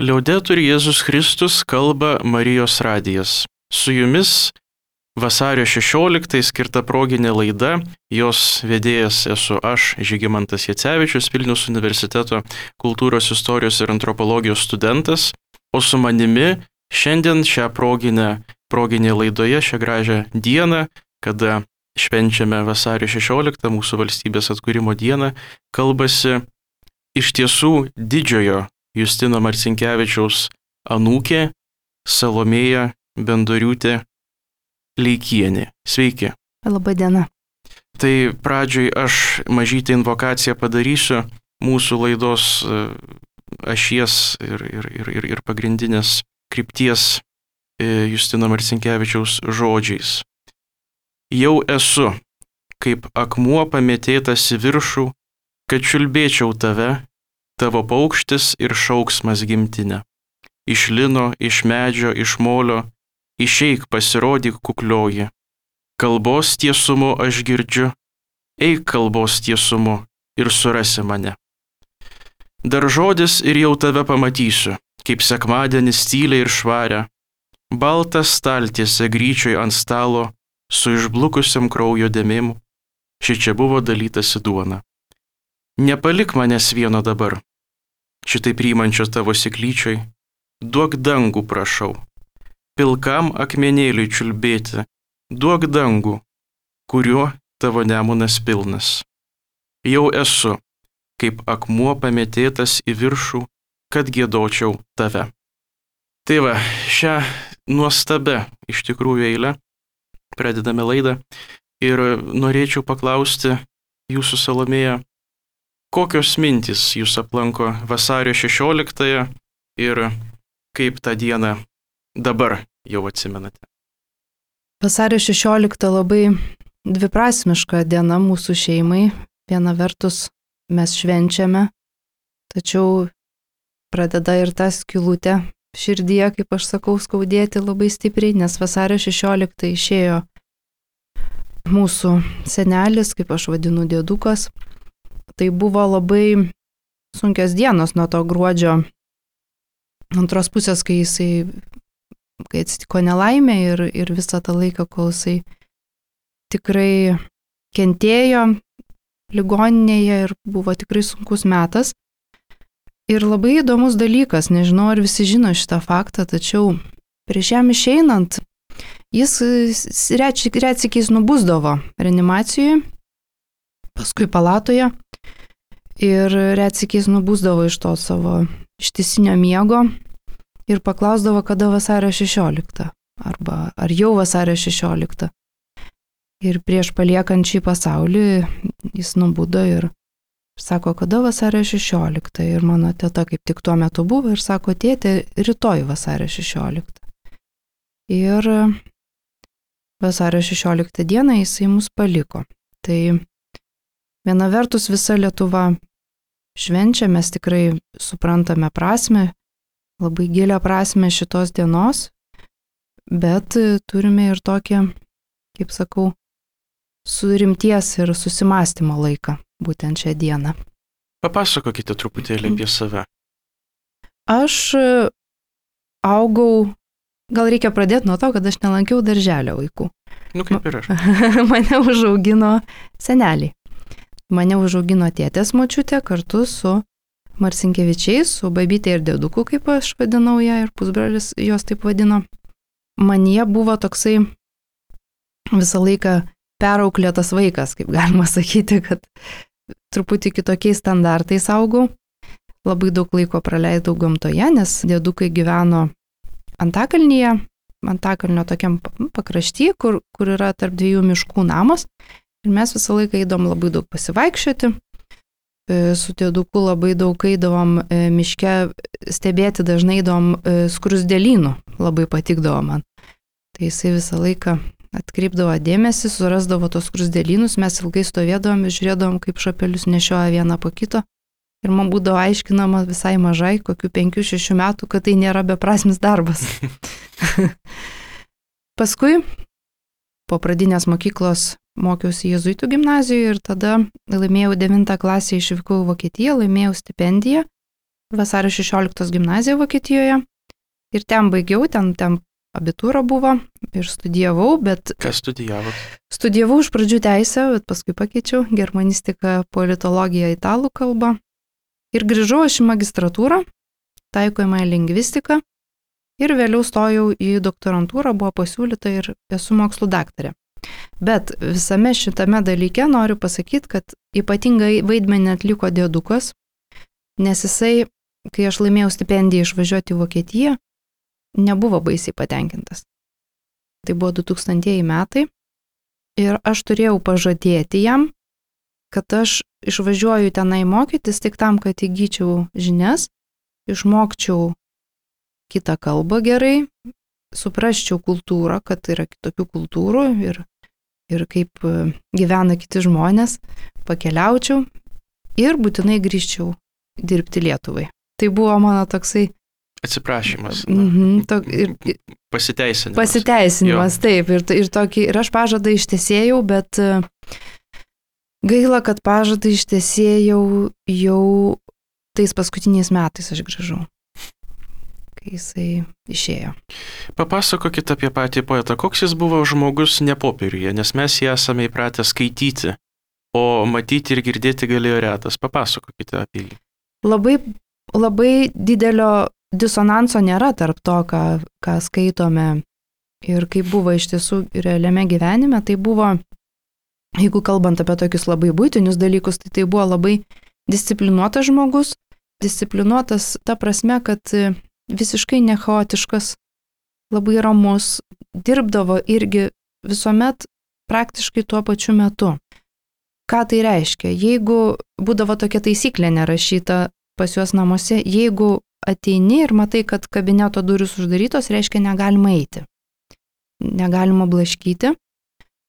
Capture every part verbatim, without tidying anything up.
Liaudetur Jėzus Kristus, kalba Marijos radijas. Su jumis vasario šešioliktąją skirta proginė laida, jos vedėjas esu aš, Žygimantas Jacevičius, Vilniaus universiteto kultūros, istorijos ir antropologijos studentas, o su manimi šiandien šią proginę, proginė laidoje, šią gražią dieną, kada švenčiame vasario šešioliktą, mūsų valstybės atkūrimo dieną, kalbasi iš tiesų didžiojo Justino Marcinkevičiaus anūkė Salomėja Bendoriūtė Leikienė. Sveiki. Labadiena. Tai pradžioj aš mažytę invokaciją padarysiu mūsų laidos ašies ir, ir, ir, ir, ir pagrindinės krypties Justino Marcinkevičiaus žodžiais. Jau esu, kaip akmuo pamėtėtas į viršų, kad čiulbėčiau tave, tavo paukštis ir šauksmas gimtinė. Iš lino, iš medžio, iš molio, išeik pasirodyk kuklioji. Kalbos tiesumu aš girdžiu, eik kalbos tiesumu ir surasi mane. Dar žodis ir jau tave pamatysiu, kaip sekmadienis tyliai ir švaria, baltą staltiesę gryčioj ant stalo, su išblukusiam kraujo dėmėm, šičia buvo dalytasi duona. Nepalik manęs vieno dabar, šitai priimančios tavo siklyčioj, duok dangų prašau, pilkam akmenėliui čiulbėti, duok dangų, kuriuo tavo nemunas pilnas. Jau esu, kaip akmuo pamėtėtas į viršų, kad giedočiau tave. Tai va, šią nuostabę iš tikrųjų eilę pradedame laidą ir norėčiau paklausti jūsų, Salomėja, kokios mintys jūs aplanko vasario šešioliktąją ir kaip tą dieną dabar jau atsimenate? Vasario šešiolikta labai dviprasmiška diena mūsų šeimai. Viena vertus mes švenčiame, tačiau pradeda ir ta skylutė širdyje, kaip aš sakau, skaudėti labai stipriai, nes vasario šešioliktą išėjo mūsų senelis, kaip aš vadinu, dėdukas. Tai buvo labai sunkios dienos nuo to gruodžio antros pusės, kai jisai, kai atsitiko nelaimė ir, ir visą tą laiką, kol jisai tikrai kentėjo ligoninėje ir buvo tikrai sunkus metas. Ir labai įdomus dalykas, nežinau, ar visi žino šitą faktą, tačiau prieš jam išeinant, jis retsykiais nubusdavo reanimacijoje, paskui palatoje ir retsykiais nubusdavo iš to savo ištisinio miego ir paklausdavo, kada vasario šešiolikta arba ar jau vasario šešiolikta. Ir prieš paliekant šį pasaulį jis nubudo ir sako, kada vasario šešiolikta. Ir mano teta kaip tik tuo metu buvo ir sako, tėtė, rytoj vasario šešiolikta. Ir vasario šešioliktą dieną jisai mus paliko. Tai viena vertus visa Lietuva švenčia, mes tikrai suprantame prasmę, labai gilią prasmę šitos dienos, bet turime ir tokį, kaip sakau, surimties ir susimastymo laiką, būtent šią dieną. Papasakokite truputėlį apie save. Aš augau, gal reikia pradėti nuo to, kad aš nelankiau darželio vaikų. Nu kaip ir aš. Mane užaugino seneliai. Mane užaugino tėtės močiutė kartu su Marcinkevičiais, su babytė ir dėduku, kaip aš vadinau ją, ir pusbrolis jos taip vadino. Manyje buvo toksai visą laiką perauklėtas vaikas, kaip galima sakyti, kad truputį kitokiais standartais augau. Labai daug laiko praleidau gamtoje, nes dėdukai gyveno Antakalnyje, Antakalnio tokiam pakrašty, kur, kur yra tarp dviejų miškų namas. Ir mes visą laiką eidom labai daug pasivaikščioti. Su dėduku labai daug eidavom miške stebėti, dažnai eidom skrusdėlynų, labai patikdavo man. Tai jisai visą laiką atkreipdavo dėmesį, surasdavo tos skrusdėlynus, mes ilgai stovėdavom ir žiūrėdavom, kaip šapelius nešioja vieną po kito. Ir man būdavo aiškinama visai mažai, kokių penkių šešių metų, kad tai nėra beprasmis darbas. Paskui po pradinės mokyklos mokiausi jėzuitų gimnazijoje ir tada laimėjau devintą klasę, išvykau į Vokietiją, laimėjau stipendiją Vasario šešioliktos gimnaziją Vokietijoje. Ir ten baigiau, ten, ten abitūra buvo ir studijavau, bet... Ką studijavot? Studijavau iš pradžių teisę, bet paskui pakeičiau germanistiką, politologiją, italų kalbą. Ir grįžau aš į magistratūrą, taikomąją lingvistiką. Ir vėliau stojau į doktorantūrą, buvo pasiūlyta ir esu mokslų daktarė. Bet visame šitame dalyke noriu pasakyti, kad ypatingai vaidmenį atliko dėdukas, nes jisai, kai aš laimėjau stipendiją išvažiuoti į Vokietiją, nebuvo baisiai patenkintas. Tai buvo du tūkstantieji metai ir aš turėjau pažadėti jam, kad aš išvažiuoju tenai mokytis tik tam, kad įgyčiau žinias, išmokčiau kitą kalbą gerai, suprasčiau kultūrą, kad yra kitokių kultūrų ir, ir kaip gyvena kiti žmonės, pakeliaučiau ir būtinai grįžčiau dirbti Lietuvai. Tai buvo mano toksai atsiprašymas. Mhm, to, ir, pasiteisinimas. Pasiteisinimas, jo. Taip. Ir, ir, tokį, ir aš pažadą ištesėjau, bet gaila, kad pažadą ištesėjau jau tais paskutiniais metais aš grįžau, kai jisai išėjo. Papasakokit apie patį poetą. Koks jis buvo žmogus ne popieriuje, nes mes jį esame įpratę skaityti, o matyti ir girdėti galėjo retas. Papasakokite apie jį. Labai, labai didelio disonanso nėra tarp to, ką, ką skaitome ir kaip buvo iš tiesų realiame gyvenime. Tai buvo, jeigu kalbant apie tokius labai buitinius dalykus, tai tai buvo labai disciplinuotas žmogus, disciplinuotas ta prasme, kad visiškai nechaotiškas, labai ramus, dirbdavo irgi visuomet praktiškai tuo pačiu metu. Ką tai reiškia? Jeigu būdavo tokia taisyklė nerašyta pas juos namuose, jeigu ateini ir matai, kad kabineto durys uždarytos, reiškia negalima eiti, negalima blaškyti.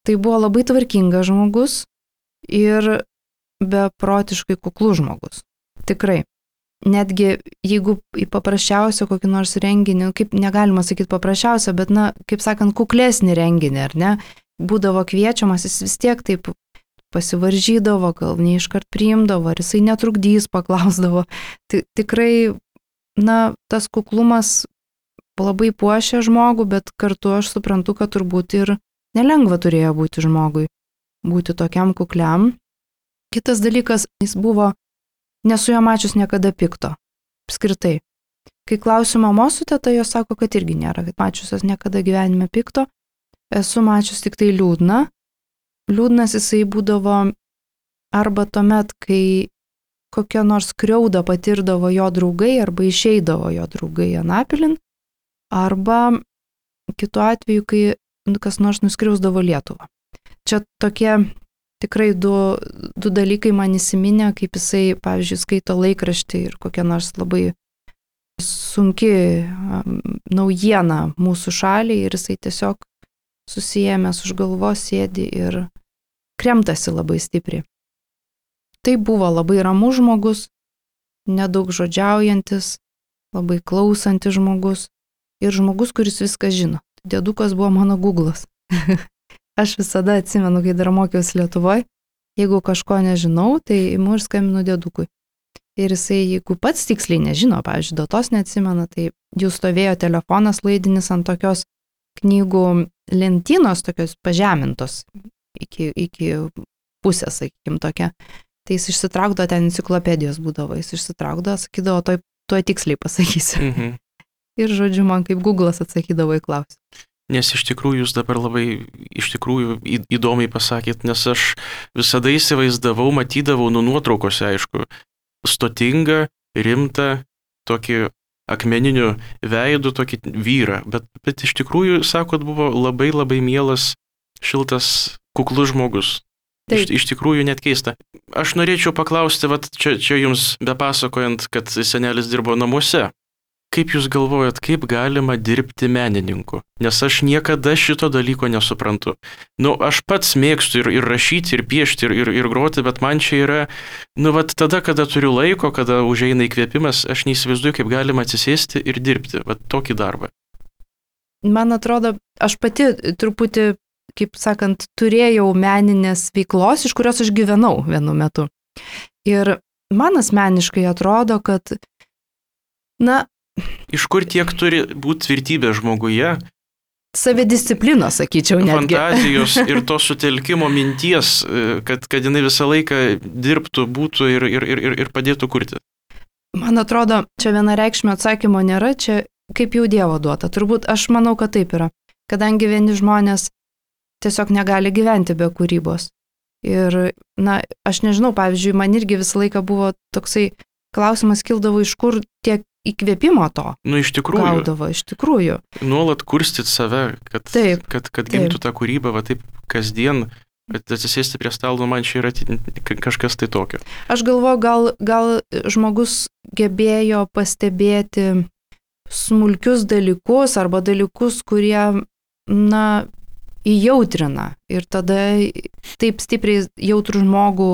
Tai buvo labai tvarkingas žmogus ir beprotiškai kuklus žmogus. Tikrai. Netgi jeigu į paprasčiausią kokį nors renginį, kaip negalima sakyti paprasčiausią, bet, na, kaip sakant, kuklesnį renginį, ar ne, būdavo kviečiamas, jis vis tiek taip pasivaržydavo, gal neiškart priimdavo, ar jisai netrukdys, paklausdavo. Tikrai, na, tas kuklumas labai puošia žmogų, bet kartu aš suprantu, kad turbūt ir nelengva turėjo būti žmogui, būti tokiam kukliam. Kitas dalykas, jis buvo, nesu jo mačius niekada pikto, apskritai. Kai klausiu mamos su teta, jos sako, kad irgi nėra, kad mačiusios niekada gyvenime pikto, esu mačius tik tai liūdna. Liūdnas jisai būdavo arba tuomet, kai kokią nors skriaudą patirdavo jo draugai arba išeidavo jo draugai anapilin, arba kitu atveju, kai kas nors nuskriausdavo Lietuvą. Čia tokie tikrai du, du dalykai man įsiminė, kaip jisai, pavyzdžiui, skaito laikraštį ir kokia nors labai sunki naujiena mūsų šaliai ir jisai tiesiog susijęmęs už galvos sėdi ir kremtasi labai stipriai. Tai buvo labai ramus žmogus, nedaug žodžiaujantis, labai klausantis žmogus ir žmogus, kuris viską žino. Dėdukas buvo mano Googlas. Aš visada atsimenu, kai dar mokiausi Lietuvoje, jeigu kažko nežinau, tai imu ir skambinu dėdukui. Ir jisai, jeigu pats tiksliai nežino, pavyzdžiui, datos neatsimena, tai jau stovėjo telefonas laidinis ant tokios knygų lentynos, tokios pažemintos iki, iki pusės, sakykim, tokia. Tai jis išsitraukdavo, ten enciklopedijos būdavo, jis išsitraukdavo, sakydavo, toj, toj tiksliai pasakysiu. Mhm. Ir, žodžiu, man kaip Googlas atsakydavo į klausimą. Nes iš tikrųjų jūs dabar labai iš tikrųjų įdomiai pasakėt, nes aš visada įsivaizdavau, matydavau nu nuotraukose, aišku, stotingą, rimtą, tokį akmeniniu veidu, tokį vyrą, bet, bet iš tikrųjų, sakot, buvo labai labai mielas, šiltas, kuklus žmogus. Iš, iš tikrųjų net keista. Aš norėčiau paklausti, vat, čia, čia jums bepasakojant, kad senelis dirbo namuose. Kaip jūs galvojat, kaip galima dirbti menininku? Nes aš niekada šito dalyko nesuprantu. Nu, aš pats mėgstu ir, ir rašyti, ir piešti, ir, ir, ir groti, bet man čia yra, nu, vat tada, kada turiu laiko, kada užeina įkvėpimas, aš neįsivaizduoju, kaip galima atsisėsti ir dirbti, vat tokį darbą. Man atrodo, aš pati truputį, kaip sakant, turėjau meninės veiklos, iš kurios aš gyvenau vienu metu. Ir man asmeniškai atrodo, kad Na, iš kur tiek turi būti tvirtybė žmoguje, savidisciplinos, sakyčiau, netgi. fantazijos ir to sutelkimo minties, kad, kad jinai visą laiką dirbtų, būtų ir, ir, ir, ir padėtų kurti? Man atrodo, čia vienareikšmio atsakymo nėra, čia kaip jau Dievo duota. Turbūt aš manau, kad taip yra. Kadangi vieni žmonės tiesiog negali gyventi be kūrybos. Ir, na, aš nežinau, pavyzdžiui, man irgi visą laiką buvo toksai klausimas kildavo, iš kur tiek įkvėpimo to. Nu, iš tikrųjų. Gaudavo, iš tikrųjų. Nuolat kurstyti save, kad, taip, kad, kad gimtų tą kūrybą, va taip kasdien, bet atsisėsti prie stalo, man čia yra kažkas tai tokio. Aš galvoju, gal, gal žmogus gebėjo pastebėti smulkius dalykus arba dalykus, kurie, na, įjautrina. Ir tada taip stipriai jautrų žmogų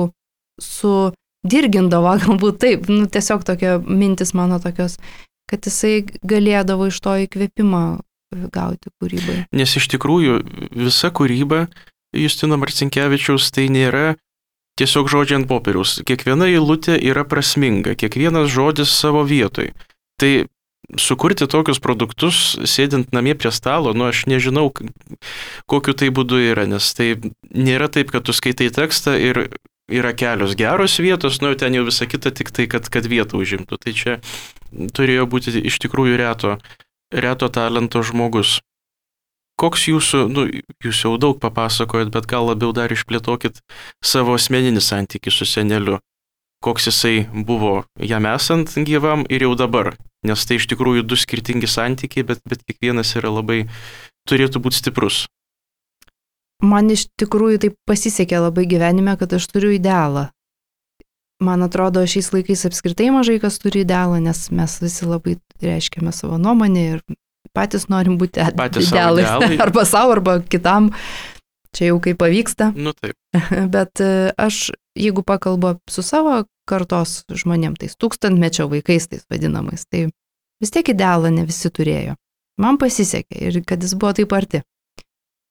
sudirgindavo, galbūt taip, nu, tiesiog tokia mintis mano tokios, kad jisai galėdavo iš to įkvėpimą gauti kūrybai. Nes iš tikrųjų visa kūryba Justino Marcinkevičiaus tai nėra tiesiog žodžiai ant popieriaus. Kiekviena eilutė yra prasminga, kiekvienas žodis savo vietoj. Tai sukurti tokius produktus, sėdint namie prie stalo, nu aš nežinau, kokiu tai būdu yra, nes tai nėra taip, kad tu skaitai tekstą ir yra kelios geros vietos, nu ten jau visa kita tik tai, kad, kad vietą užimtų. Tai čia turėjo būti iš tikrųjų reto, reto talento žmogus. Koks jūsų, nu jūs jau daug papasakojot, bet gal labiau dar išplėtokit savo asmeninį santykį su seneliu. Koks jisai buvo jam esant gyvam ir jau dabar. Nes tai iš tikrųjų du skirtingi santykiai, bet, bet kiekvienas yra labai, turėtų būti stiprus. Man iš tikrųjų taip pasisekė labai gyvenime, kad aš turiu idealą. Man atrodo, šiais laikais apskritai mažai kas turi idealą, nes mes visi labai reiškiame savo nuomonę ir patys norim būti idealais. Arba savo, arba kitam. Čia jau kaip pavyksta. Nu taip. Bet aš, jeigu pakalbu su savo kartos žmonėm, tais tūkstantmečio vaikais, tais vadinamais, tai vis tiek idealą ne visi turėjo. Man pasisekė ir kad jis buvo taip arti.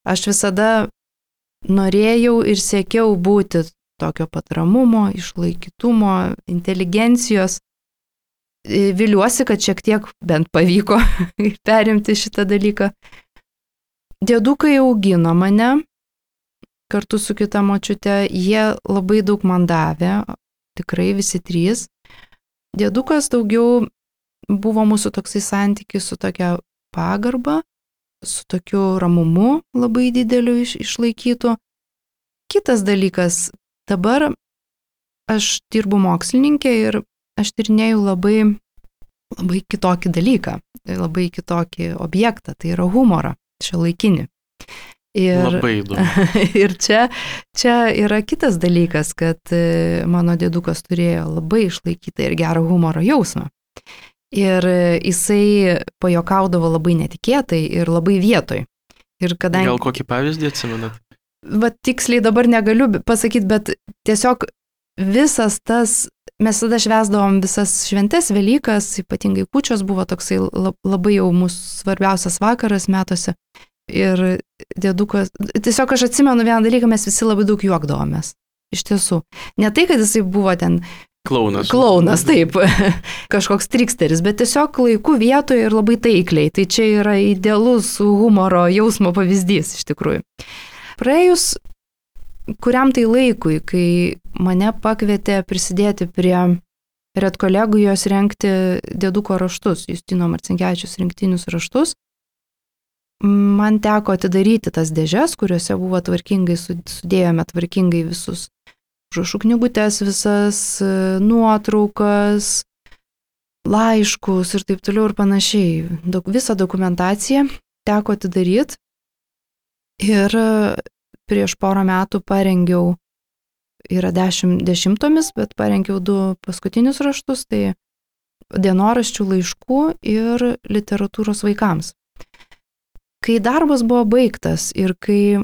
Aš visada norėjau ir siekiau būti tokio patramumo, išlaikytumo, inteligencijos. Viliuosi, kad šiek tiek bent pavyko perimti šitą dalyką. Dėdukai augino mane kartu su kita močiute, jie labai daug man davė, tikrai visi trys. Dėdukas daugiau buvo mūsų toksai santykis su tokia pagarba, su tokiu ramumu labai dideliu iš, išlaikytų. Kitas dalykas, dabar aš dirbu mokslininkė ir aš tyrinėju labai, labai kitokį dalyką, labai kitokį objektą, tai yra humorą, šiuolaikinį. Ir, labai įdomu. Ir čia, čia yra kitas dalykas, kad mano dėdukas turėjo labai išlaikytą ir gerą humoro jausmą. Ir jisai pajuokaudavo labai netikėtai ir labai vietoj. Ir kadangi... Gal kokį pavyzdį atsimenat? Va tiksliai dabar negaliu pasakyti, bet tiesiog visas tas, mes tada švęsdavom visas šventes, Velykas, ypatingai kūčios buvo toksai labai jau mūsų svarbiausias vakaras metuose. Ir dėdukas, tiesiog aš atsimenu vieną dalyką, mes visi labai daug juokdavomės. Iš tiesų. Ne tai, kad jisai buvo ten Klaunas. Klaunas, taip, kažkoks triksteris, bet tiesiog laiku vietoje ir labai taikliai. Tai čia yra idealus humoro jausmo pavyzdys iš tikrųjų. Praėjus kuriam tai laikui, kai mane pakvietė prisidėti prie redkolegijos rengti dėduko raštus, Justino Marcinkevičiaus rinktinius raštus, man teko atidaryti tas dėžes, kuriuose buvo tvarkingai, sudėjome tvarkingai visus užrašų knygutes, visas nuotraukas, laiškus ir taip toliau ir panašiai. Daug, visą dokumentaciją teko atidaryti ir prieš porą metų parengiau, yra dešimt dešimtomis, bet parengiau du paskutinius raštus, tai dienoraščių laiškų ir literatūros vaikams. Kai darbas buvo baigtas ir kai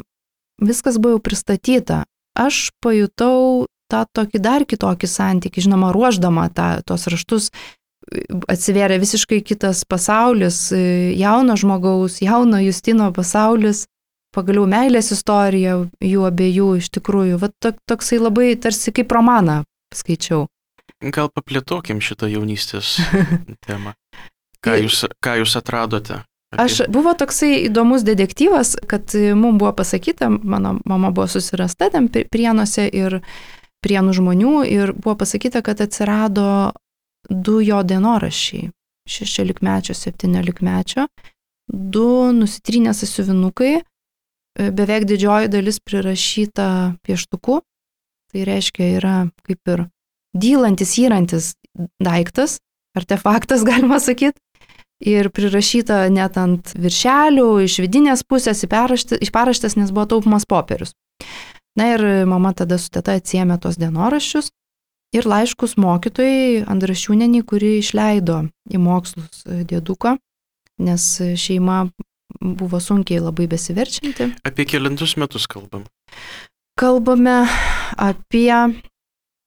viskas buvo jau pristatyta, aš pajutau tą tokį dar kitokį santykį, žinoma, ruošdama tą, tos raštus, atsivėrė visiškai kitas pasaulis, jauno žmogaus, jauno Justino pasaulis, pagaliau meilės istorija jų abiejų iš tikrųjų, va toksai labai tarsi kaip romaną skaičiau. Gal paplėtokim šitą jaunystės temą. Ką jūs, ką jūs atradote? Apie... Aš buvo toksai įdomus detektyvas, kad mums buvo pasakyta, mano mama buvo susirasta ten Prienuose ir Prienų žmonių ir buvo pasakyta, kad atsirado du jo dienoraščiai, šešiolikmečio, septyniolikmečio, du nusitrynę sąsiuvinukai, beveik didžioji dalis prirašyta pieštuku, tai reiškia yra kaip ir dylantis, įrantis daiktas, artefaktas galima sakyti, ir prirašyta net ant viršelių, iš vidinės pusės, iš paraštės, nes buvo taupomas popierius. Na ir mama tada su teta atsiėmė tos dienoraščius ir laiškus mokytojai Andrašiūnienei, kuri išleido į mokslus dėduką, nes šeima buvo sunkiai labai besiverčianti. Apie kelintus metus kalbam? Kalbame apie,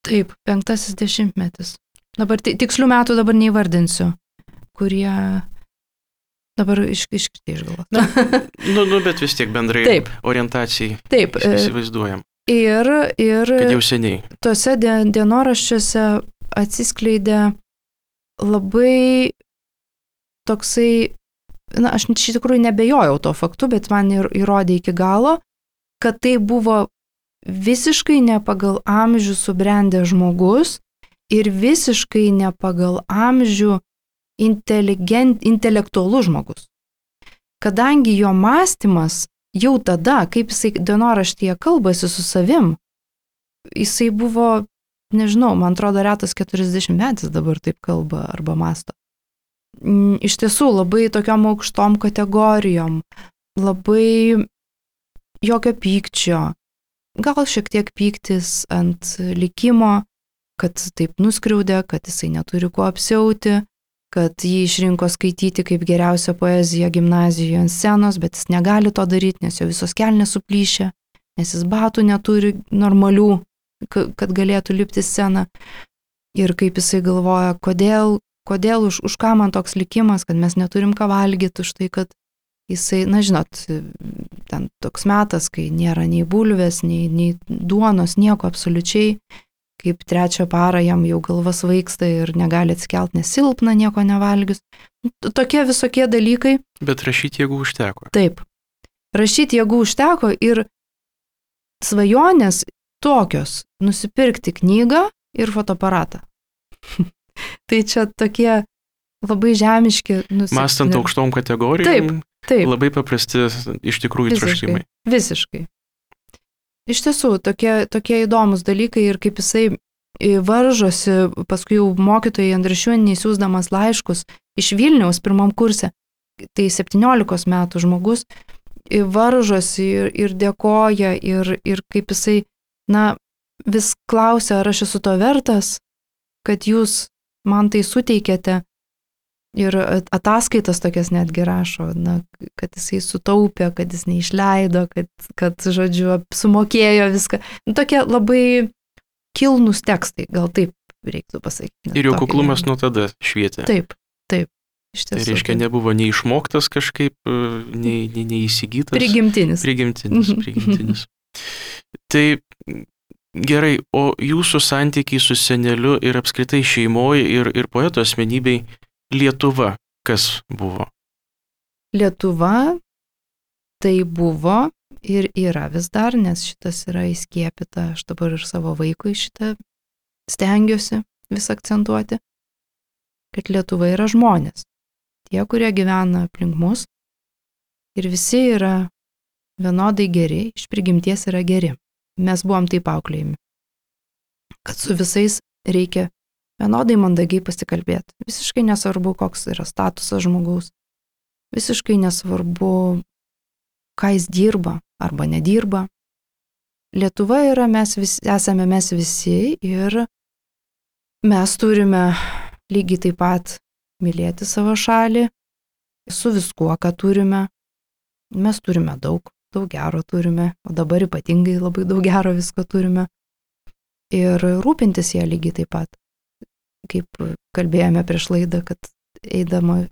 taip, penktasis dešimtmetis. Dabar tikslių metų dabar neįvardinsiu, kurie dabar iškritai išgalvos. Na, nu, nu, bet vis tiek bendrai taip. Orientacijai taip. Įsivaizduojam. Ir, ir kad jau seniai. Tuose dienoraščiuose atsiskleidė labai toksai, na, aš iš tikrųjų nebejojau to faktu, bet man ir įrodė iki galo, kad tai buvo visiškai ne pagal amžių subrendę žmogus ir visiškai ne pagal amžių intelektualus žmogus. Kadangi jo mąstymas jau tada, kaip jisai dienoraštyje kalbasi su savim, jisai buvo, nežinau, man atrodo, retas keturiasdešimtmetis dabar taip kalba arba mąsto. Iš tiesų, labai tokiom aukštom kategorijom, labai jokio pykčio, gal šiek tiek pyktis ant likimo, kad taip nuskriaudė, kad jisai neturi kuo apsiauti, kad jį išrinko skaityti kaip geriausią poeziją gimnazijoje ant scenos, bet jis negali to daryti, nes jo visos kelnės suplyšę, nes jis batų neturi normalių, kad galėtų lipti sceną. Ir kaip jisai galvoja, kodėl, kodėl už, už ką man toks likimas, kad mes neturim ką valgyti, už tai, kad jisai, na žinot, ten toks metas, kai nėra nei bulvės, nei, nei duonos, nieko absoliučiai. Kaip trečią parą jam jau galva svaigsta ir negali atsikelt, nes silpna, nieko nevalgius. Tokie visokie dalykai. Bet rašyti jėgų užteko. Taip. Rašyti jėgų užteko ir svajonės tokios - nusipirkti knygą ir fotoaparatą. Tai čia tokie labai žemiški. Nusip... Mąstant aukštom kategorijom, taip, taip. Labai paprasti iš tikrųjų troškimai. Visiškai. Iš tiesų, tokie, tokie įdomus dalykai ir kaip jisai varžosi, paskui jau mokytojai Andrašiūnienei siųsdamas laiškus iš Vilniaus pirmam kurse, tai septyniolikos metų žmogus, varžosi ir, ir dėkoja ir, ir kaip jisai, na, vis klausia, ar aš esu to vertas, kad jūs man tai suteikėte. Ir ataskaitas tokias netgi rašo, na, kad jisai sutaupė, kad jis neišleido, kad, kad žodžiu, sumokėjo viską. Tokie labai kilnus tekstai, gal taip reiktų pasakyti. Ir jau kuklumas nuo tada švietė. Taip, taip. Iš tiesų. Tai reiškia, nebuvo nei išmoktas kažkaip, nei, nei, nei įsigytas. Prigimtinis. Prigimtinis, prigimtinis. Tai gerai, o jūsų santykiai su seneliu ir apskritai šeimoje ir, ir poeto asmenybei Lietuva, kas buvo? Lietuva tai buvo ir yra vis dar, nes šitas yra įskiepita, aš dabar ir savo vaikui šitą stengiuosi vis akcentuoti, kad Lietuva yra žmonės. Tie, kurie gyvena aplink mus ir visi yra vienodai geri, iš prigimties yra geri. Mes buvom taip auklėjami, kad su visais reikia vienodai mandagiai pasikalbėti. Visiškai nesvarbu, koks yra statusas žmogaus. Visiškai nesvarbu, ką jis dirba arba nedirba. Lietuva yra, mes vis, esame mes visi ir mes turime lygiai taip pat mylėti savo šalį, su viskuo, ką turime. Mes turime daug, daug gero turime, o dabar ypatingai labai daug gero visko turime. Ir rūpintis ją lygiai taip pat. Kaip kalbėjome prieš laidą, kad eidama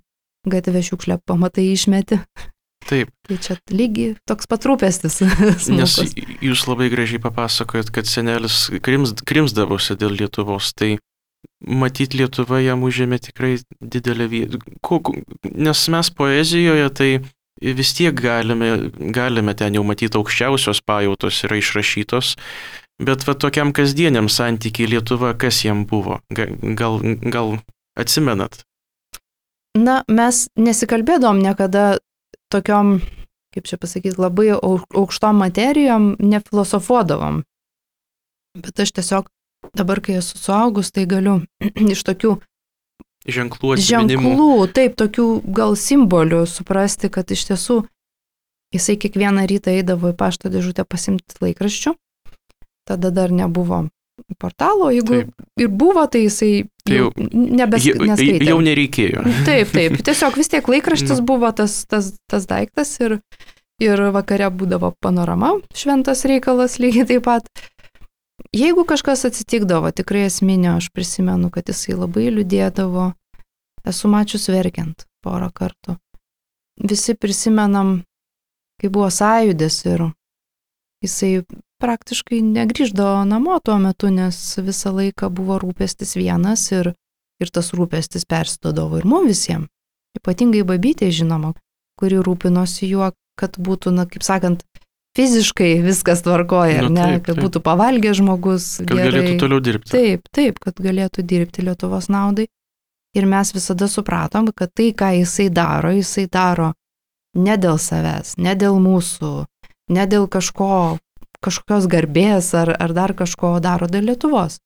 gatvę šiukšlę pamatai išmeti. Taip. Tai čia lygiai toks pat rūpestis. Nes jūs labai gražiai papasakojot, kad senelis krims, krimsdavosi dėl Lietuvos. Tai matyt, Lietuva jam užėmė tikrai didelę vietą. Nes mes poezijoje tai vis tiek galime, galime ten jau matyti aukščiausios pajautos yra išrašytos, bet va tokiam kasdieniam santykiai Lietuva, kas jam buvo? Gal, gal atsimenat? Na, mes nesikalbėdom niekada tokiom, kaip čia pasakyti, labai aukštom materijom, nefilosofuodavom. Bet aš tiesiog dabar, kai esu suaugus, tai galiu iš tokių ženklų atsiminimų. Ženklų, taip, tokių gal simbolių suprasti, kad iš tiesų jisai kiekvieną rytą eidavo į pašto dėžutę pasimti laikraščių. Tada dar nebuvo portalo, jeigu taip. Ir buvo, tai jisai jau, jau nebes, neskaitė. Jau nereikėjo. Taip, taip, tiesiog vis tiek laikraštis buvo tas, tas, tas daiktas ir, ir vakare būdavo panorama, šventas reikalas lygiai taip pat. Jeigu kažkas atsitikdavo, tikrai esminio, aš prisimenu, kad jisai labai liūdėdavo, esu mačius verkiant porą kartų. Visi prisimenam, kai buvo sąjūdis ir jisai praktiškai negrįždavo namo tuo metu, nes visą laiką buvo rūpestis vienas ir, ir tas rūpestis persidodavo ir mums visiems. Ypatingai babytė, žinoma, kuri rūpinosi juo, kad būtų, na, kaip sakant, fiziškai viskas tvarkoja, nu, ne, taip, kad taip. būtų pavalgę žmogus. Kad gerai. Galėtų toliau dirbti. Taip, taip, kad galėtų dirbti Lietuvos naudai. Ir mes visada supratom, kad tai, ką jisai daro, jisai daro ne dėl savęs, ne dėl mūsų, ne dėl kažko, kažkokios garbės ar, ar dar kažko daro dėl Lietuvos.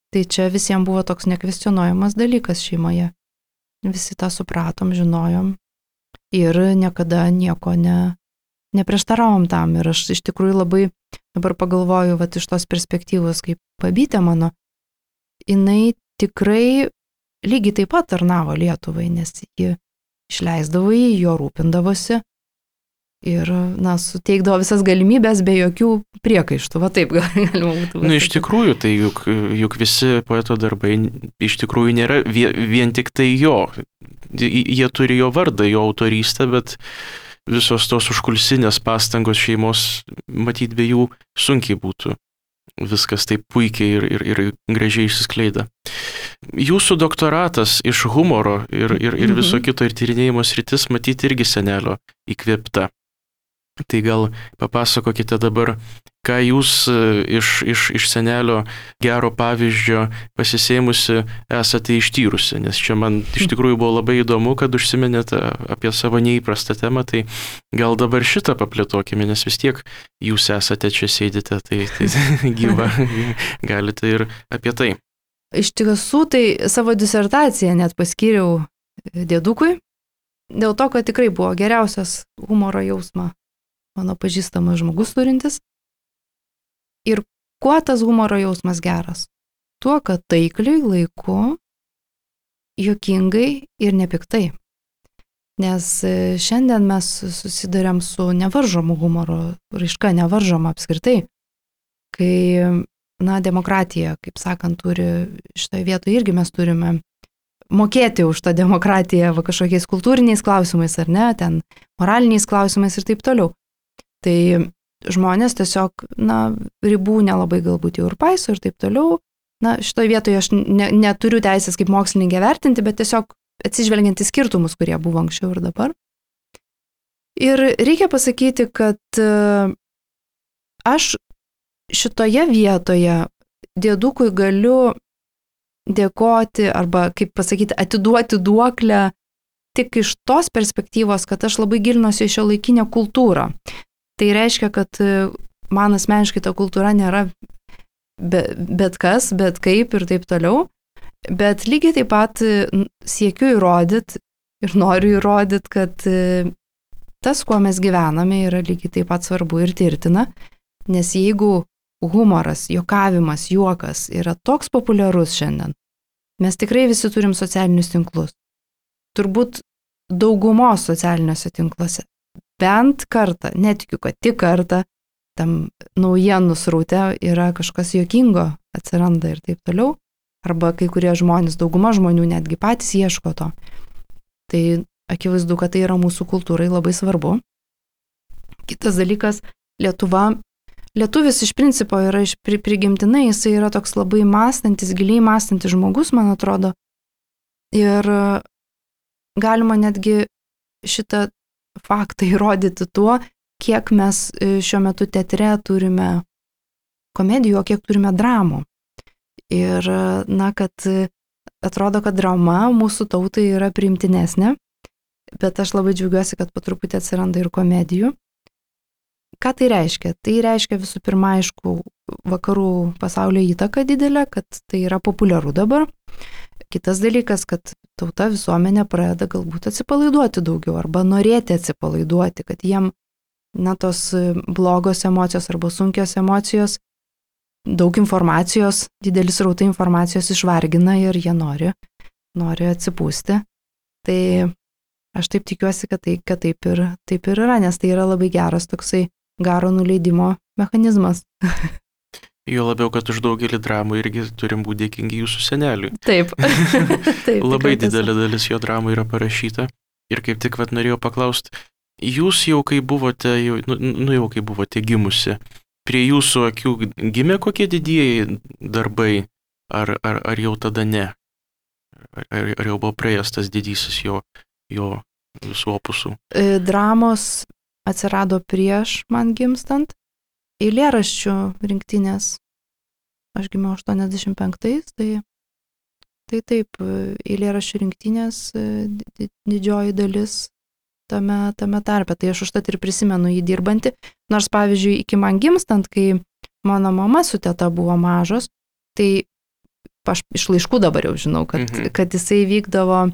Tai čia visiems buvo toks nekvestionuojamas dalykas šeimoje. Visi tą supratom, žinojom ir niekada nieko ne neprieštaravom tam. Ir aš iš tikrųjų labai dabar pagalvoju, vat iš tos perspektyvos, kaip babytė mano, jinai tikrai lygiai taip pat tarnavo Lietuvai, nes ji išleisdavo jį, jo rūpindavosi ir, na, suteikdavo visas galimybės be jokių priekaištų. Va taip galima būtų. Na, iš tikrųjų, tai juk, juk visi poeto darbai iš tikrųjų nėra vien, vien tik tai jo. Jie turi jo vardą, jo autorystę, bet visos tos užkulsinės pastangos šeimos, matyt, be jų sunkiai būtų viskas taip puikiai ir, ir, ir gražiai išsiskleida. Jūsų doktoratas iš humoro ir, ir, ir viso kito ir tyrinėjimo sritis, matyt, irgi senelio įkvėpta. Tai gal papasakokite dabar, ką jūs iš, iš, iš senelio gero pavyzdžio pasisėmusi esate ištyrusi, nes čia man iš tikrųjų buvo labai įdomu, kad užsiminėte apie savo neįprastą temą, tai gal dabar šitą paplėtokime, nes vis tiek jūs esate čia sėdite, tai, tai gyva, galite ir apie tai. Iš tiesų, tai savo disertaciją net paskyriau dėdukui, dėl to, kad tikrai buvo geriausias humoro jausmą mano pažįstamas žmogus turintis. Ir kuo tas humoro jausmas geras? Tuo, kad taikliai, laiku, juokingai ir nepiktai. Nes šiandien mes susiduriam su nevaržomu humoro raiška, nevaržoma apskritai. Kai, na, demokratija, kaip sakant, turi šitoje vietoje irgi mes turime mokėti už tą demokratiją va, kažkokiais kultūriniais klausimais ar ne, ten moraliniais klausimais ir taip toliau. Tai žmonės tiesiog, na, ribų nelabai galbūt jau ir paiso ir taip toliau. Na, šitoje vietoje aš ne, neturiu teisės kaip mokslininkė vertinti, bet tiesiog atsižvelgiant į skirtumus, kurie buvo anksčiau ir dabar. Ir reikia pasakyti, kad aš šitoje vietoje dėdukui galiu dėkoti arba, kaip pasakyti, atiduoti duoklę tik iš tos perspektyvos, kad aš labai gilinuosi į šiuolaikinę kultūrą. Tai reiškia, kad man asmeniškai ta kultūra nėra be, bet kas, bet kaip ir taip toliau, bet lygiai taip pat siekiu įrodyti ir noriu įrodyti, kad tas, kuo mes gyvename, yra lygiai taip pat svarbu ir tirtina, nes jeigu humoras, juokavimas, juokas yra toks populiarus šiandien, mes tikrai visi turim socialinius tinklus. Turbūt daugumos socialiniuose tinkluose. Bent kartą, netikiu, kad tik kartą, tam naujienų sraute yra kažkas juokingo, atsiranda ir taip toliau. Arba kai kurie žmonės, dauguma žmonių netgi patys ieško to. Tai akivaizdu, kad tai yra mūsų kultūrai labai svarbu. Kitas dalykas, Lietuva, lietuvis iš principo yra iš prigimtinai, jisai yra toks labai mąstantis, giliai mąstantis žmogus, man atrodo. Ir galima netgi šitą faktą įrodyti tuo, kiek mes šiuo metu teatre turime komedijų, o kiek turime dramų. Ir, na, kad atrodo, kad drama mūsų tautai yra priimtinesnė, bet aš labai džiaugiuosi, kad po truputį atsiranda ir komedijų. Ką tai reiškia? Tai reiškia visų pirma, aišku, vakarų pasaulio įtaka didelė, kad tai yra populiaru dabar. Kitas dalykas, kad tauta visuomenė pradeda galbūt atsipalaiduoti daugiau arba norėti atsipalaiduoti, kad jiem, na, tos blogos emocijos arba sunkios emocijos, daug informacijos, didelis rautai informacijos išvargina ir jie nori, nori atsipūsti. Tai aš taip tikiuosi, kad, tai, kad taip, ir, taip ir yra, nes tai yra labai geras toksai garo nuleidimo mechanizmas. Jo labiau, kad už daugelį dramų irgi turim būti dėkingi jūsų seneliui. Taip. Taip labai didelė dalis jo dramų yra parašyta. Ir kaip tik vat norėjau paklausti, jūs jau kai buvote, jau, nu, nu jau kai buvote gimusi, prie jūsų akių gimė kokie didieji darbai, ar, ar, ar jau tada ne? Ar, ar jau buvo praėjęs tas didysis jo, jo visų opusų? Dramos atsirado prieš man gimstant, eilėraščių rinktinės. Aš gimiau aštuoniasdešimt penktais, tai, tai taip, eilėraščių rinktinės didžioji dalis tame, tame tarpe. Tai aš užtat ir prisimenu jį dirbantį. Nors, pavyzdžiui, iki man gimstant, kai mano mama su teta buvo mažos, tai aš iš laiškų dabar jau žinau, kad, mhm. kad jisai vykdavo,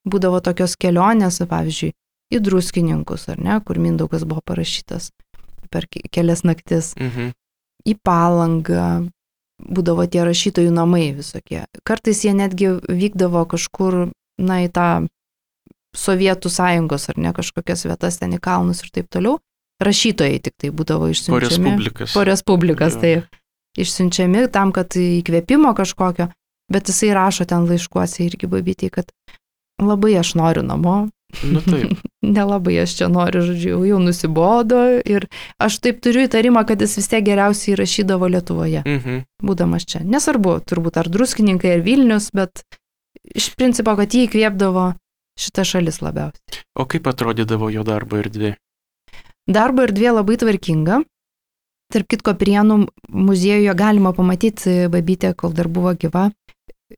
būdavo tokios kelionės, pavyzdžiui, į Druskininkus, ar ne, kur Mindaugas buvo parašytas per kelias naktis, mhm. į Palangą, būdavo tie rašytojų namai visokie. Kartais jie netgi vykdavo kažkur, na, į tą Sovietų sąjungos, ar ne, kažkokias vietas ten į kalnus ir taip toliau. Rašytojai tik tai būdavo išsiunčiami. Po Respublikas. Po Respublikas, tai išsiunčiami tam, kad įkvėpimo kažkokio, bet jisai rašo ten laiškuose irgi babytei, kad labai aš noriu namo. Nu taip. Nelabai aš čia noriu, žodžiu, jau nusibodo ir aš taip turiu įtarimą, kad jis vis tiek geriausiai rašydavo Lietuvoje, mhm. būdamas čia. Nesvarbu, turbūt ar Druskininkai, ar Vilnius, bet iš principo, kad jį įkvėpdavo šita šalis labiausiai. O kaip atrodydavo jo darbo erdvė? Darbo erdvė labai tvarkinga. Tarp kitko, Prienų muziejuje galima pamatyti babytę, kol dar buvo gyva.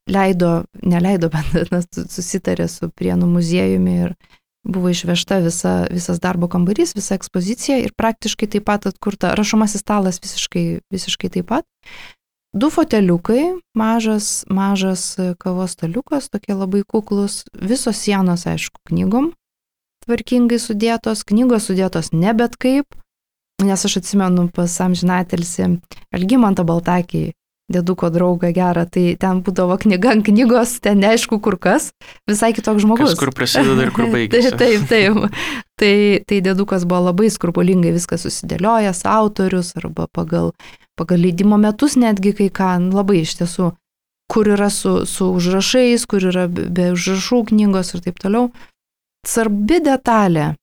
Leido, neleido, bet susitarė su Prienų muziejumi ir buvo išvežta visa, visas darbo kambarys, visa ekspozicija ir praktiškai taip pat atkurta. Rašomasis stalas visiškai, visiškai taip pat. Du foteliukai, mažas, mažas kavos staliukas, tokie labai kuklus, visos sienos, aišku, knygom tvarkingai sudėtos, knygos sudėtos ne bet kaip, nes aš atsimenu pas amžinatelsi Algimantą Baltakį, dėduko draugą gerą, tai ten būdavo knyga ant knygos, ten neaišku kur kas, visai kitoks žmogus. Kas kur prasideda ir kur baigėsi. taip, taip, taip. Tai, tai dėdukas buvo labai skrupulingai viskas susidėliojęs, autorius arba pagal, pagal leidimo metus netgi kai ką, labai iš tiesų, kur yra su, su užrašais, kur yra be užrašų knygos ir taip toliau. Svarbi detalė,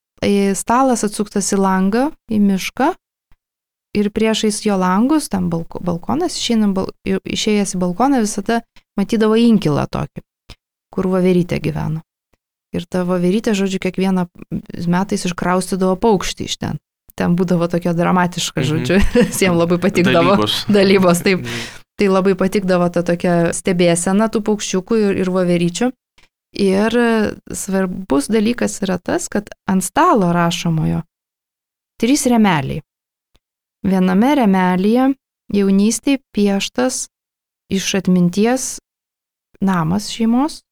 stalas atsuktas į langą, į mišką, ir priešais jo langus, tam balko, balkonas, bal, išėjęs į balkoną visada matydavo inkilą tokį, kur voverytė gyveno. Ir ta voverytė, žodžiu, kiekvieną metais iškraustydavo paukštį iš ten. Ten būdavo tokia dramatiška, žodžiu, mhm. jiems labai patikdavo. Dalybos. Dalybos, taip. Mhm. Tai labai patikdavo ta tokia stebėsena tų paukščiukų ir, ir voveryčių. Ir svarbus dalykas yra tas, kad ant stalo rašomojo trys remeliai. Viename remelyje jaunystėje pieštas iš atminties namas šeimos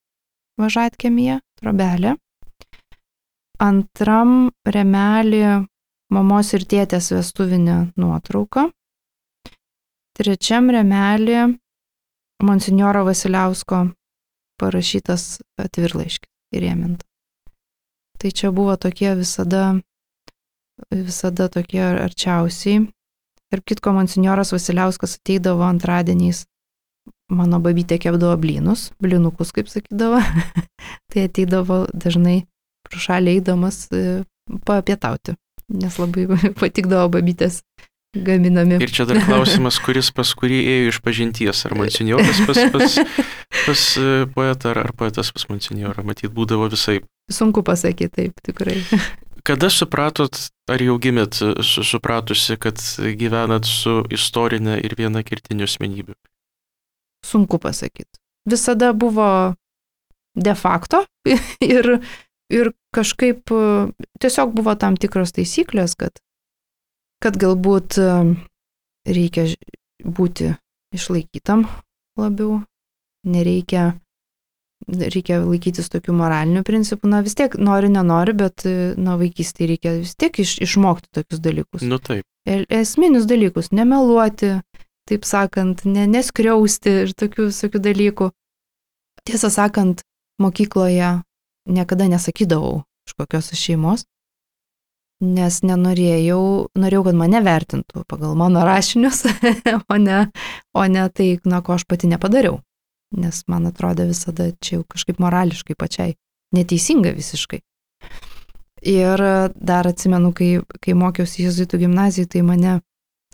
Važatkiemyje, trobelė. Antram remelį mamos ir tėtės vestuvinė nuotrauka. Trečiam remelį monsinjoro Vasiliausko parašytas atvirlaiškis įrėminta. Tai čia buvo tokie visada, visada tokie arčiausiai. Tarp kitko, monsinjoras Vasiliauskas ateidavo antradieniais, mano babytė kepdavo blynus, blynukus, kaip sakydavo, tai ateidavo dažnai pro šalį eidamas papietauti, nes labai patikdavo babytės gaminami. Ir čia dar klausimas, kuris pas kurį ėjo iš pažinties, ar monsinjoras pas, pas, pas poetą, ar, ar poetas pas monsinjorą, matyt, būdavo visai. Sunku pasakyti, taip, tikrai. Kada supratot, ar jau gimėt su, supratusi, kad gyvenat su istorinė ir viena kertinių asmenybių? Sunku pasakyti. Visada buvo de facto ir, ir kažkaip tiesiog buvo tam tikros taisyklės, kad, kad galbūt reikia būti išlaikytam labiau, nereikia, reikia laikytis tokių moralinių principų, na vis tiek nori, nenori, bet na vaikystėje reikia vis tiek iš, išmokti tokius dalykus. Nu taip. Esminius dalykus, nemeluoti, taip sakant, ne, neskriausti ir tokių visokių dalykų. Tiesą sakant, mokykloje niekada nesakydavau iš kokios šeimos, nes nenorėjau, norėjau, kad mane vertintų pagal mano rašinius, o ne, o ne tai, na, ko aš pati nepadariau. Nes man atrodė visada čia jau kažkaip morališkai pačiai neteisinga visiškai. Ir dar atsimenu, kai, kai mokiausi jėzuitų gimnazijoje, tai mane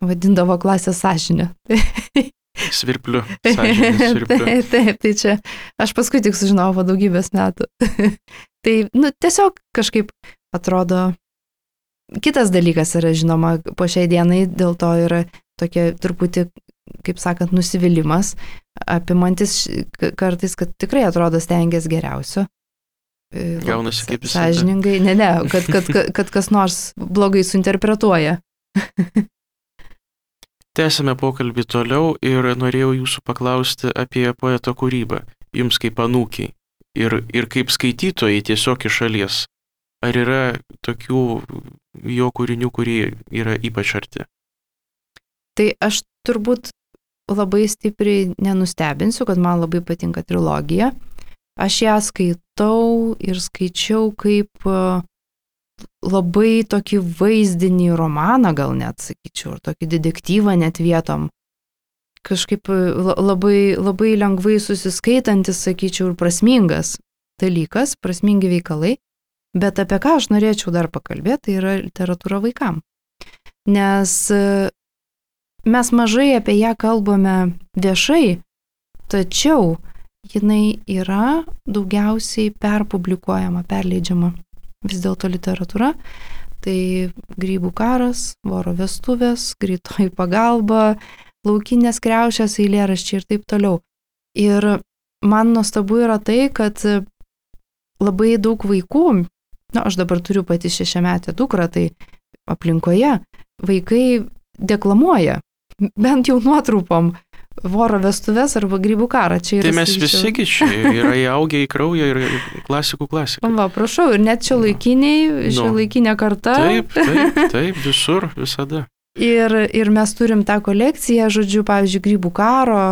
vadindavo klasės sąžinė. Svirpliu. Sąžinė, svirpliu. Taip, taip, tai čia aš paskui tik sužinojau po daugybės metų. Tai, nu, tiesiog kažkaip atrodo, kitas dalykas yra, žinoma, po šiai dienai dėl to yra tokia truputį, kaip sakant, nusivylimas, apimantis kartais, kad tikrai atrodo stengiasi geriausio. Gaunasi kaip visada. Sąžiningai, ne, ne, kad, kad, kad, kad kas nors blogai suinterpretuoja. Tęsime pokalbį toliau ir norėjau jūsų paklausti apie poeto kūrybą, jums kaip anūkiai ir, ir kaip skaitytojai tiesiog iš šalies. Ar yra tokių jo kūrinių, kurie yra ypač arti? Tai aš turbūt labai stipriai nenustebinsiu, kad man labai patinka trilogija. Aš ją skaitau ir skaičiau kaip labai tokį vaizdinį romaną, gal net sakyčiau, ir tokį detektyvą net vietom. Kažkaip labai, labai lengvai susiskaitantis, sakyčiau, ir prasmingas dalykas, prasmingi veikalai. Bet apie ką aš norėčiau dar pakalbėti, tai yra literatūra vaikam. Nes mes mažai apie ją kalbame viešai, tačiau jinai yra daugiausiai perpublikuojama, perleidžiama. Vis dėlto literatūra, tai Grybų karas, Voro vestuvės, Greitoji pagalba, Laukinės kriaušės, eilėraščiai ir taip toliau. Ir man nuostabu yra tai, kad labai daug vaikų, na, aš dabar turiu pati šešiametę dukrą, tai aplinkoje vaikai deklamuoja, bent jau nuotrupom, Voro vestuvės arba Grybų karą. Čia yra, tai mes visigi čia yra įaugę į kraują ir klasikų klasiką. Va, prašau, ir net šio laikiniai, šio laikinė karta. Taip, taip, taip, visur, visada. Ir, ir mes turim tą kolekciją, žodžiu, pavyzdžiui, Grybų karo,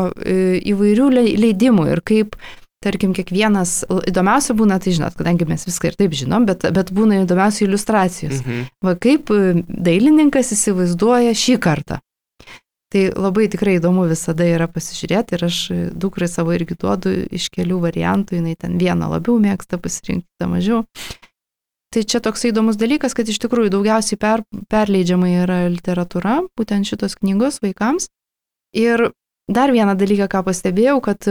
įvairių leidimų ir kaip, tarkim, kiekvienas, įdomiausia būna, tai žinot, kadangi mes viską ir taip žinom, bet, bet būna įdomiausia iliustracijos. Mhm. Va, kaip dailininkas įsivaizduoja šį kartą. Tai labai tikrai įdomu visada yra pasižiūrėti ir aš dukrai savo irgi duodu iš kelių variantų, jinai ten vieną labiau mėgsta pasirinkti, tą mažiau. Tai čia toks įdomus dalykas, kad iš tikrųjų daugiausiai per, perleidžiama yra literatūra, būtent šitos knygos vaikams. Ir dar vieną dalyką, ką pastebėjau, kad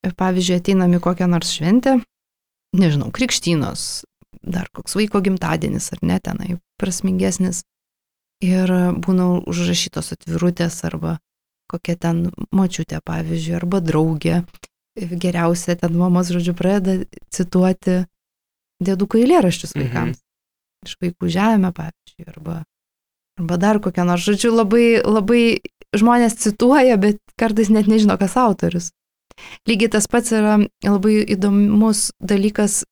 pavyzdžiui ateinam į kokią nors šventę, nežinau, krikštynos, dar koks vaiko gimtadienis ar ne, tenai prasmingesnis. Ir būna užrašytos atvirutės arba kokia ten močiutė, pavyzdžiui, arba draugė. Geriausia ten mamos, žodžiu, pradeda cituoti dėdukų eilėraščius vaikams. Mhm. Iš Vaikų žemė, pavyzdžiui, arba, arba dar kokią nors. Žodžiu, labai, labai žmonės cituoja, bet kartais net nežino, kas autorius. Lygiai tas pats yra labai įdomus dalykas.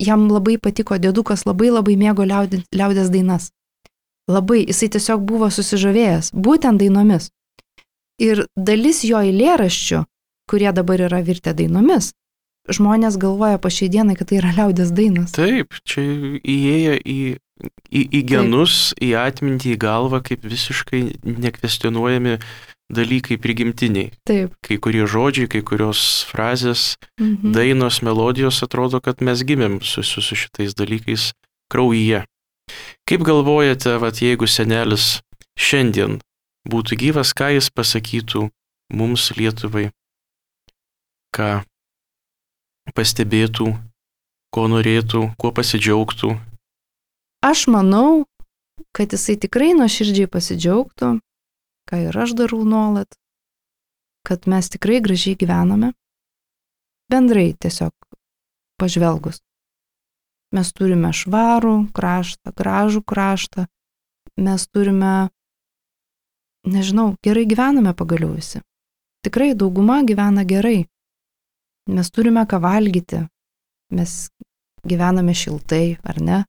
Jam labai patiko dėdukas, labai labai mėgo liaudės, liaudės dainas. Labai, jisai tiesiog buvo susižavėjęs, būtent dainomis. Ir dalis jo eilėraščių, kurie dabar yra virtę dainomis, žmonės galvoja po šiai dienai, kad tai yra liaudės dainos. Taip, čia įėję į, į, į genus, Taip. Į atmintį, į galvą, kaip visiškai nekvestionuojami dalykai prigimtiniai. Taip. Kai kurie žodžiai, kai kurios frazės, mhm. dainos, melodijos, atrodo, kad mes gimėm su, su, su šitais dalykais kraujyje. Kaip galvojate, vat, jeigu senelis šiandien būtų gyvas, ką jis pasakytų mums Lietuvai, ką pastebėtų, ko norėtų, kuo pasidžiaugtų. Aš manau, kad jisai tikrai nuoširdžiai pasidžiaugtų, ką ir aš darau nuolat, kad mes tikrai gražiai gyvename. Bendrai tiesiog pažvelgus. Mes turime švarų kraštą, gražų kraštą, mes turime, nežinau, gerai gyvename pagaliau visi. Tikrai dauguma gyvena gerai. Mes turime ką valgyti, mes gyvename šiltai, ar ne?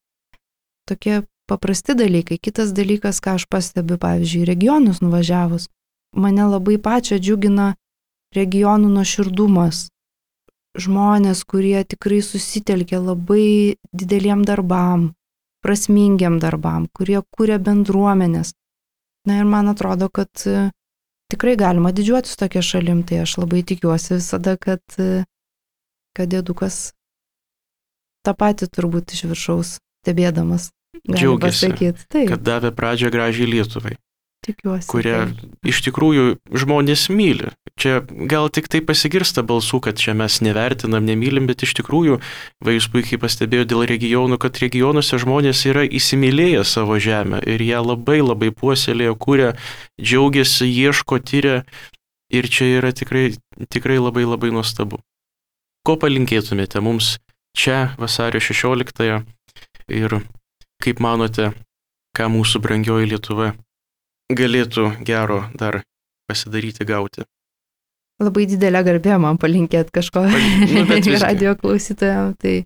Tokie paprasti dalykai. Kitas dalykas, ką aš pastebiu, pavyzdžiui, regionus nuvažiavus, mane labai pačią džiugina regionų nuoširdumas. Žmonės, kurie tikrai susitelkia labai dideliem darbam, prasmingiam darbam, kurie kūrė bendruomenės. Na ir man atrodo, kad tikrai galima didžiuotis tokia šalim, tai aš labai tikiuosi visada, kad, kad dėdukas tą patį turbūt iš viršaus stebėdamas. Džiaugiasi, kad davė pradžią gražiai Lietuvai. Tikiuosi. Kurią tai. iš tikrųjų žmonės myli. Čia gal tik tai pasigirsta balsų, kad čia mes nevertinam, nemylim, bet iš tikrųjų, va jūs puikiai pastebėjo dėl regionų, kad regionuose žmonės yra įsimylėję savo žemę ir ją labai labai puoselėjo, kūrė, džiaugiasi, ieško, tyria ir čia yra tikrai, tikrai labai labai nuostabu. Ko palinkėtumėte mums čia vasario šešioliktąją ir kaip manote, ką mūsų brangioji Lietuva galėtų gero dar pasidaryti, gauti? Labai didelė garbė man palinkėti kažko nu, radio klausytojams, tai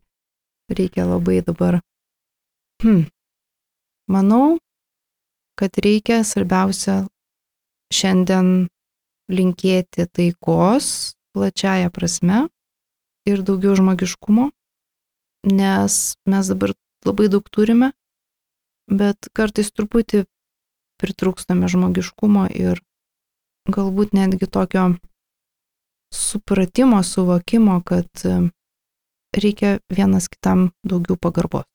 reikia labai dabar. Hmm. Manau, kad reikia svarbiausia šiandien linkėti taikos plačiaja prasme ir daugiau žmogiškumo, nes mes dabar labai daug turime, bet kartais truputį pritrūkstame žmogiškumo ir galbūt netgi tokio supratimo, suvokimo, kad reikia vienas kitam daugiau pagarbos.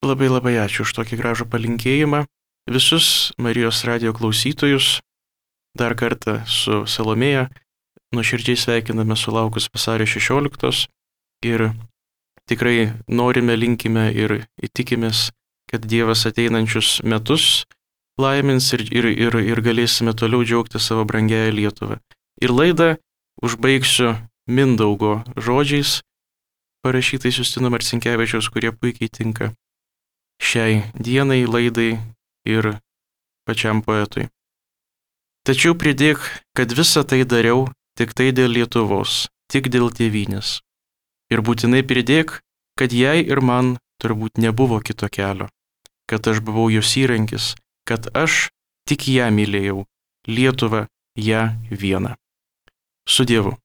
Labai labai ačiū už tokį gražų palinkėjimą. Visus Marijos radijo klausytojus dar kartą su Salomėja nuoširdžiai sveikiname sulaukus vasario šešioliktos ir tikrai norime, linkime ir įtikimės, kad Dievas ateinančius metus laimins ir, ir, ir, ir galėsime toliau džiaugti savo brangiąją Lietuvą. Ir laidą užbaigsiu Mindaugo žodžiais, parašytais Justino Marcinkevičiaus, kurie puikiai tinka šiai dienai, laidai ir pačiam poetui. Tačiau pridėk, kad visą tai dariau tik tai dėl Lietuvos, tik dėl tėvynės. Ir būtinai pridėk, kad jai ir man turbūt nebuvo kito kelio, kad aš buvau jos įrankis, kad aš tik ją mylėjau, Lietuvą, ją vieną. Su Dievu.